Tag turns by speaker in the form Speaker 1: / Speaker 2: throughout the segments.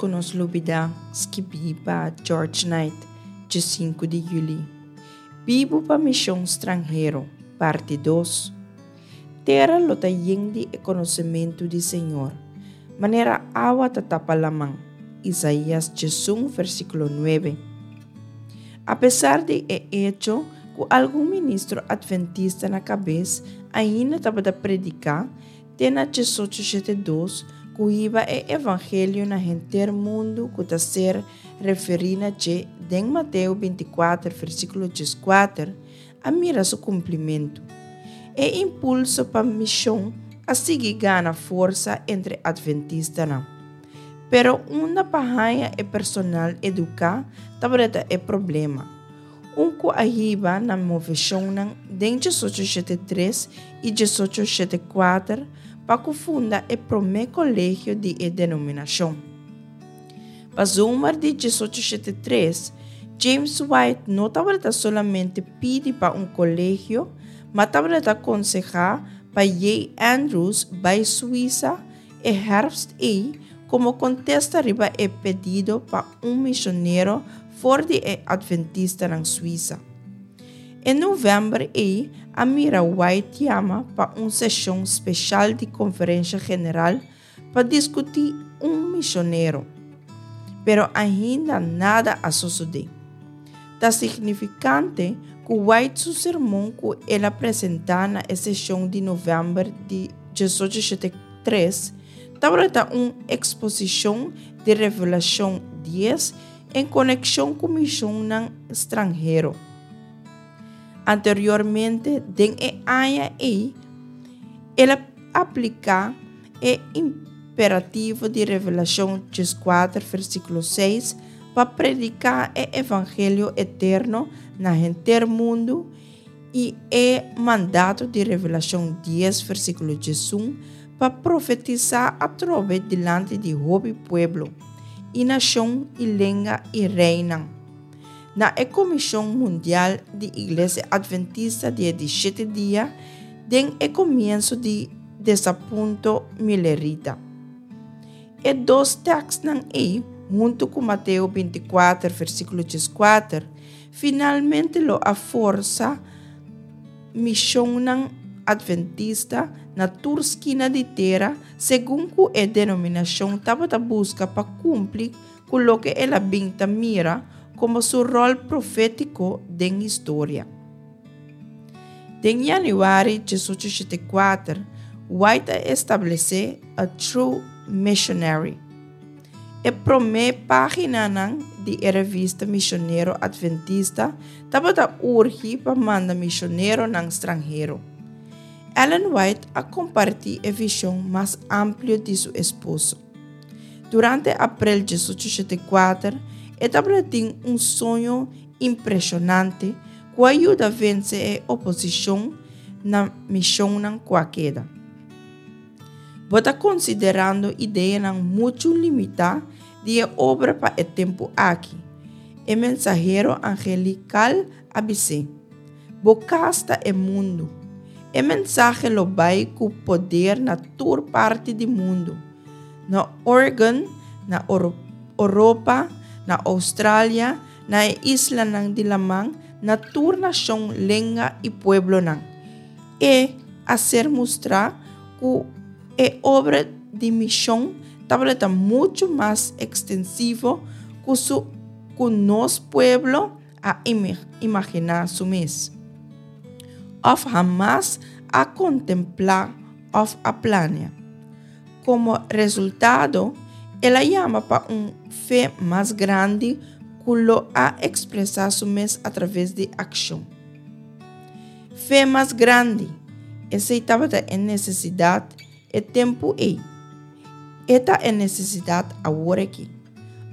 Speaker 1: ku nos lubidá, skibí pa George Knight, djesinku di yüli. Bibu pa mishon stranhero, parti dos. Tera lo ta yen di e konosementu di Señor, manera awa ta tapa laman, Isaías 11 versíkulo 9. Apesar di e echo ku algun ministro atventista na kabes ainda tabata prediká te na 1872 ku hiba e evangelio na henter mundu ku ta ser referí na dje den Mateo 24 versíkulo 14, a mira su kumplimentu. E impulso pa mishon a sigui gana forsa entre atventistanan. Pero unda pa haña e personal eduká tabata e problema. Un ku a hiba na moveshonnan den 1873 i 1874 pa ku funda e promé kolegio di e denominashon. Pa zomer di 1873, James White no tabata solamente pidi pa un kolegio, ma tabata konsehá pa J. Andrews bai Suisa e herfst ei komo kontesta riba e pedido pa un misionero for di e Adventistanan Suisa. E novèmber ei a mira White yama pa un seshon speshal di Konferensha General pa diskutí un misionero. Pero ainda nada a sosodé. Ta signifikante ku White su sermon ku el a presentá na e seshon di novèmber di 1873 tabata un eksposishon di Revelashon 10 en konekshon ku mishonnan stranhero. Anteriormente den e aña ei, el a apliká e imperativo di Revelashon 14 versíkulo 6 pa prediká e evangelio eterno na henter mundu i e mandato di Revelashon 10 versíkulo 11 pa profetisá atrobe dilanti di hopi pueblo i nashon i lenga i reinan. Na e Komishon Mundial di Iglesia Adventista di e di shete dia den e komienso di desapunto Millerita. E dos tèkstnan ei, huntu ku Mateo 24 versíkulo 14, finalmente lo a forsa mishonnan adventista na tur skina di tera segun ku e denominashon tabata buska pa kumpli ku loke el a bin ta mira komo su ròl profétiko den historia. Den yanüari 1884, White a establesé A True Missionary. E promé páginanan di e revista misionero adventista tabata urgi pa manda misioneronan stranhero. Ellen White a kompartí e vishon mas amplio di su esposo. Durante aprel 1884, e tabata tin un soño impreshonante ku a yuda vense e oposishon na mishonnan ku a keda. Bo ta konsiderando ideanan muchu limitá di e obra pa e tempu aki, e mensahero angelikal a bis'é. Bo kas ta e mundu. E mensahe lo bai ku poder na tur parti di mundu, na Oregon, na Oropa, na Oustralia, na e islanan di laman, na tur nashon, lenga i pueblonan. E a ser mustrá ku e obra di mishon tabata muchu mas ekstensivo ku su ku nos pueblo a imaginá su mes, òf hamas a kontemplá òf a plania. Komo resultado, el a yama pa un fe mas grandi ku lo a ekspresá su mes atraves di akshon. Fe mas grandi, esei tabata e nesesidat e tempu ei. E ta e nesesidat awor aki.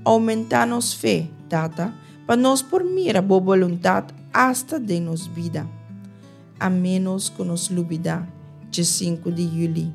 Speaker 1: Oumentá nos fe, Tata, pa nos por mira bo boluntat asta den nos bida. A ménos ku nos lubidá dje sinku di yüli.